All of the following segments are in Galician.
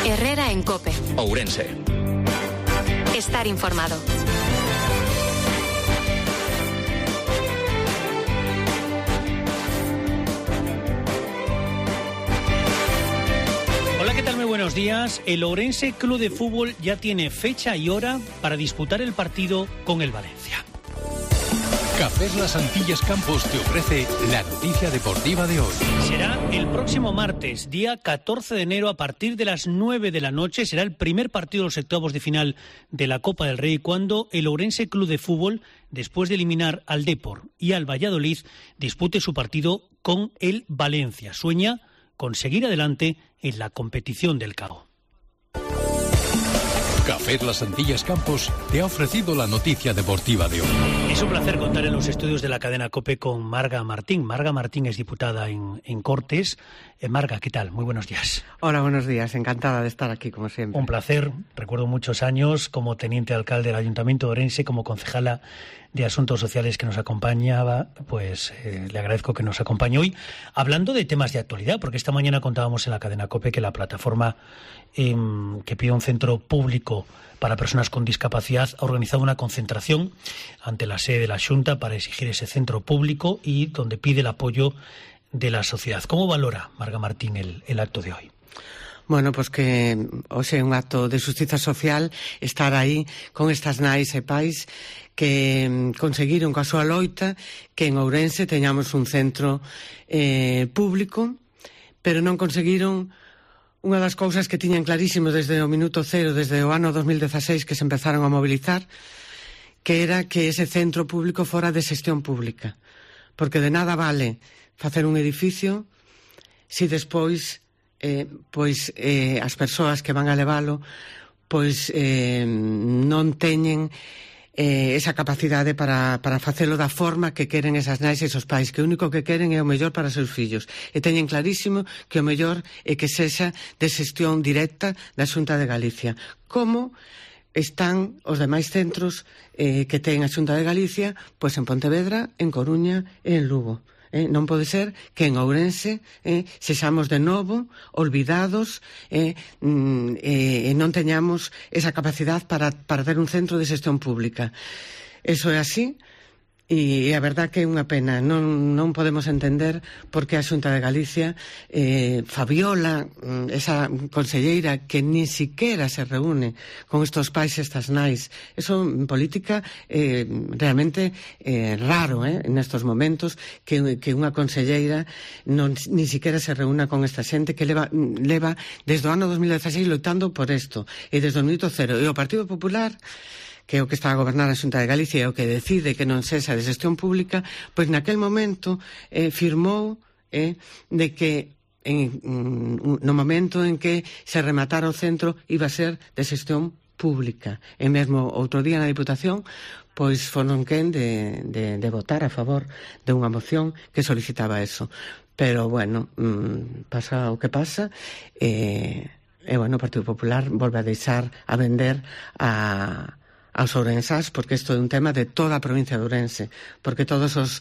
Herrera en COPE. Ourense. Estar informado. Hola, ¿qué tal? Muy buenos días. El Ourense Club de Fútbol ya tiene fecha y hora para disputar el partido con el Valencia. Cafés Las Antillas Campos te ofrece la noticia deportiva de hoy. Será el próximo martes, día 14 de enero, a partir de las 9 de la noche. Será el primer partido de los octavos de final de la Copa del Rey, cuando el Ourense Club de Fútbol, después de eliminar al Depor y al Valladolid, dispute su partido con el Valencia. Sueña con seguir adelante en la competición del Cabo. Café Las Antillas Campos te ha ofrecido la noticia deportiva de hoy. Es un placer contar en los estudios de la cadena COPE con Marga Martín. Marga Martín es diputada en Cortes. Marga, ¿qué tal? Muy buenos días. Hola, buenos días. Encantada de estar aquí, como siempre. Un placer. Recuerdo muchos años como teniente alcalde del Ayuntamiento de Ourense, como concejala de Asuntos Sociales que nos acompañaba. Pues le agradezco que nos acompañe hoy, hablando de temas de actualidad, porque esta mañana contábamos en la cadena COPE que la plataforma que pide un centro público para personas con discapacidad ha organizado una concentración ante la sede de la Xunta para exigir ese centro público y donde pide el apoyo de la sociedad. ¿Cómo valora, Marga Martín, el acto de hoy? Bueno, pues que hoxe é un acto de xustiza social estar aí con estas nais e pais que conseguiron coa súa loita que en Ourense teñamos un centro público, pero non conseguiron unha das cousas que tiñan clarísimo desde o minuto cero, desde o ano 2016 que se empezaron a mobilizar, que era que ese centro público fora de xestión pública. Porque de nada vale facer un edificio se despois as persoas que van a levalo non teñen esa capacidade para facelo da forma que queren esas nais e esos pais, que o único que queren é o mellor para os seus fillos, e teñen clarísimo que o mellor é que sexa de xestión directa da Xunta de Galicia, como están os demais centros que ten a Xunta de Galicia, pois en Pontevedra, en Coruña e en Lugo. Non pode ser que en Ourense sexamos de novo olvidados e non teñamos esa capacidade para ter un centro de xestión pública. Eso é así. E a verdad que é unha pena, non podemos entender por que a Xunta de Galicia Fabiola, esa conselleira que ni siquiera se reúne con estos pais e estas nais. Eso en política realmente raro nestos momentos que unha conselleira ni siquiera se reúna con esta xente que leva desde o ano 2016 loitando por isto e desde o minuto cero. E o Partido Popular, que é o que está a gobernar a Xunta de Galicia e o que decide que non sexa de xestión pública, pois naquel momento firmou de que no momento en que se rematara o centro iba a ser de xestión pública. E mesmo outro día na Diputación pois foron quen de votar a favor de unha moción que solicitaba eso. Pero, bueno, pasa o que pasa e bueno, o Partido Popular volve a deixar a vender aos ourensás, porque isto é un tema de toda a provincia de Ourense, porque todos os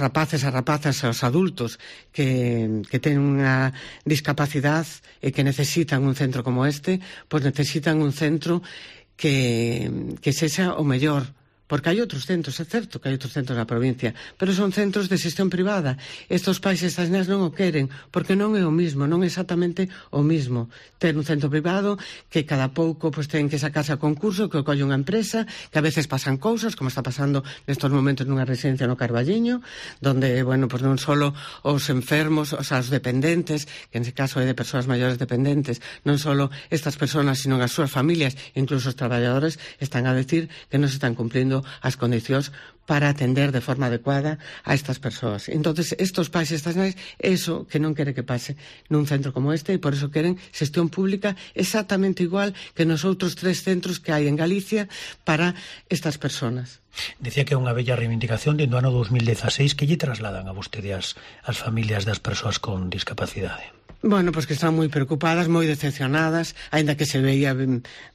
rapaces e rapazas e os adultos que ten unha discapacidade e que necesitan un centro como este, pois necesitan un centro que sexa o mellor. Porque hai outros centros, é certo que hai outros centros na provincia, pero son centros de xestión privada. Estos pais e estas nenas non o queren, porque non é o mismo, non é exactamente o mismo. Ter un centro privado que cada pouco pues, ten que sacarse a concurso, que o colle unha empresa, que a veces pasan cousas, como está pasando nestos momentos nunha residencia no Carballiño, donde, bueno, pues non só os enfermos, os dependentes, que en ese caso é de persoas maiores dependentes, non só estas persoas, sino as súas familias, incluso os traballadores, están a decir que non se están cumplindo as condicións para atender de forma adecuada a estas persoas. Entonces, estos pais e estas nais, eso que non quere que pase nun centro como este, e por eso queren xestión pública exactamente igual que nos outros 3 centros que hai en Galicia para estas persoas. Decía que é unha bella reivindicación dentro do ano 2016 que lle trasladan a vostede as familias das persoas con discapacidade. Bueno, pois que están moi preocupadas, moi decepcionadas, aínda que se veía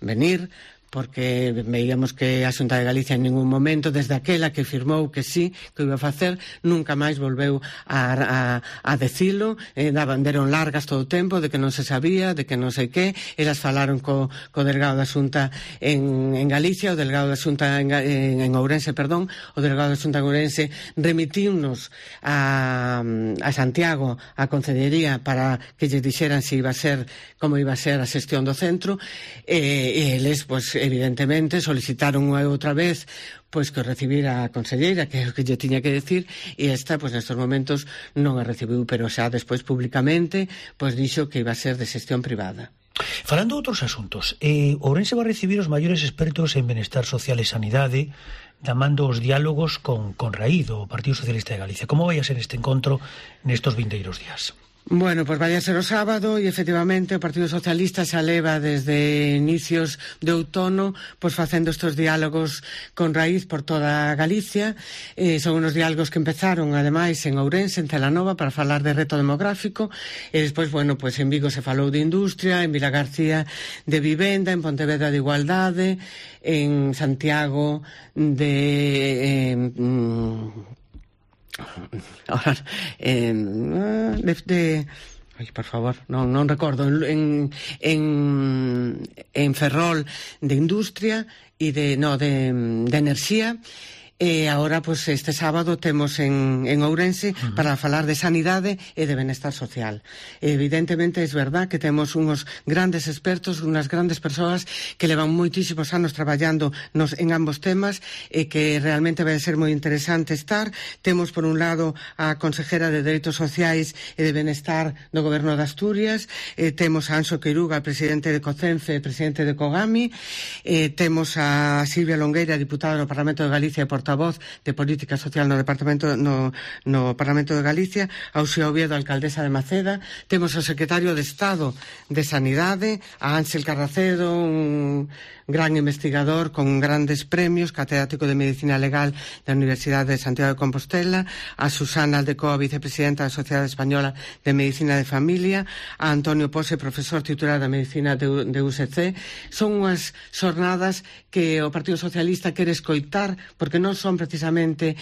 venir, porque veíamos que a Xunta de Galicia en ningún momento, desde aquela que firmou que sí, que iba a facer, nunca máis volveu a decilo, deron largas todo o tempo de que non se sabía, de que non sei que, elas falaron co delegado da Xunta en Galicia, o delegado da Xunta en Ourense, perdón, o delegado da Xunta en Ourense remitiunos a Santiago, a Concellería, para que lle dixeran se iba a ser, como iba a ser a xestión do centro, e eles, pois, evidentemente solicitaron unha e outra vez pois que o recibira a conselleira, que é o que lle tiña que decir, e esta, pois nestes momentos non a recibiu, pero xa despois públicamente pois dixo que iba a ser de xestión privada. Falando de outros asuntos, Ourense va a recibir os maiores expertos en benestar social e sanidade, chamando os diálogos con Raíz, do Partido Socialista de Galicia. Como vai a ser este encontro nestos vindeiros días? Bueno, pois vai a ser o sábado e efectivamente o Partido Socialista xa leva desde inicios de outono pois facendo estes diálogos con Raíz por toda Galicia. Son unos diálogos que empezaron ademais en Ourense, en Celanova, para falar de reto demográfico, e despois, bueno, pois en Vigo se falou de industria, en Vilagarcía de vivenda, en Pontevedra de igualdade, en Santiago ahora ay, por favor, non recordo, en Ferrol de industria e de enerxía. E agora, pois, este sábado temos en Ourense para falar de sanidade e de benestar social. Evidentemente, é verdad que temos uns grandes expertos, unhas grandes persoas que levan moitísimos anos traballando en ambos temas e que realmente vai ser moi interesante estar. Temos, por un lado, a consejera de Dereitos Sociais e de Benestar do Goberno de Asturias, temos a Anxo Queiruga, presidente de COCENFE e presidente de COGAMI, temos a Silvia Longueira, diputada no Parlamento de Galicia e portavoz de Política Social no Parlamento de Galicia, a Uxía Oviedo, alcaldesa de Maceda, temos o secretario de Estado de Sanidade, a Ángel Carracedo, un gran investigador con grandes premios, catedrático de Medicina Legal da Universidade de Santiago de Compostela, a Susana Aldecoa, vicepresidenta da Sociedade Española de Medicina de Familia, a Antonio Pose, profesor titular da Medicina de UCC. Son unhas xornadas que o Partido Socialista quere escoitar, porque non son precisamente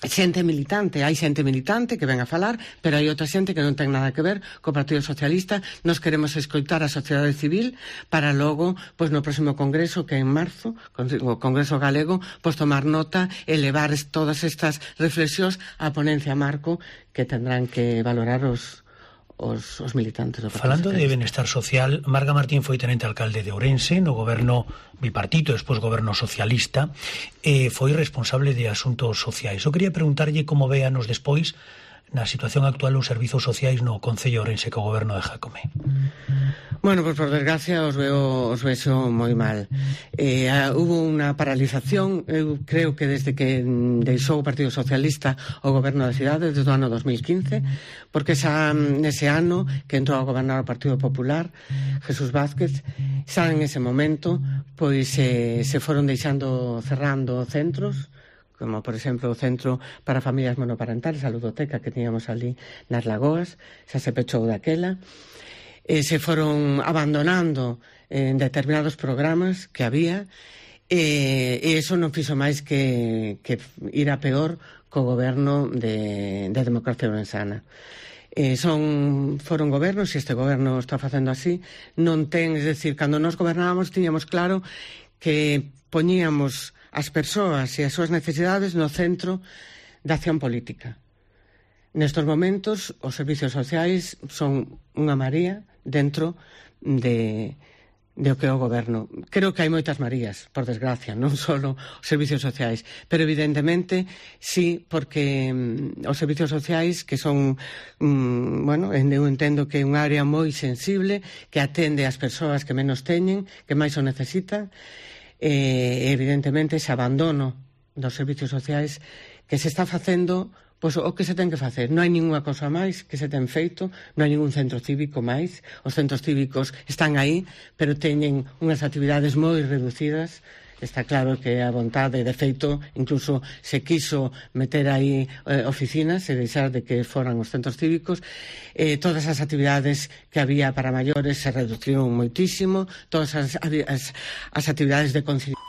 xente militante. Hai xente militante que ven a falar, pero hai outra xente que non ten nada que ver co Partido Socialista. Nos queremos escoitar a sociedade civil para logo, pois no próximo congreso, que é en marzo, o Congreso Galego, pois tomar nota e levar todas estas reflexións á ponencia marco que tendrán que valorar os militantes do Partido Falando Socialista. de benestar social, Marga Martín foi tenente alcalde de Ourense no goberno bipartito, despois goberno socialista, e foi responsable de asuntos sociais. Eu quería preguntarlle como véanos despois na situación actual os servizos sociais no Concello de Ourense co goberno de Jácome. Bueno, pues por desgracia os vexo moi mal. Hubo unha paralización, eu creo que desde que deixou o Partido Socialista o goberno da cidade, desde o ano 2015, porque xa nese ano que entrou a gobernar o Partido Popular, Jesús Vázquez, xa en ese momento pois se foron cerrando centros, como por exemplo o Centro para Familias Monoparentales, a ludoteca que teníamos ali nas Lagoas, xa se pechou daquela. Se foron abandonando en determinados programas que había, e eso non fixo máis que ir a peor co goberno de Democracia Ourensana. Foron gobernos, e este goberno está facendo así, non ten, es decir, cando nos gobernábamos tiñamos claro que poñíamos as persoas e as súas necesidades no centro da acción política. Nestos momentos, os servicios sociais son unha maría dentro de o que é o goberno. Creo que hai moitas marías, por desgracia, non só os servicios sociais, pero evidentemente sí, porque os servicios sociais que son, eu entendo que é unha área moi sensible, que atende ás persoas que menos teñen, que máis o necesitan, e evidentemente ese abandono dos servicios sociais que se está facendo, pois o que se ten que facer. Non hai ninguna cosa máis que se ten feito, non hai ningún centro cívico máis. Os centros cívicos están aí, pero teñen unhas actividades moi reducidas Está claro que a vontade, de feito, incluso se quiso meter aí oficinas e deixar de que foran os centros cívicos. Todas as actividades que había para maiores se reduciron moitísimo, todas as actividades de conciliación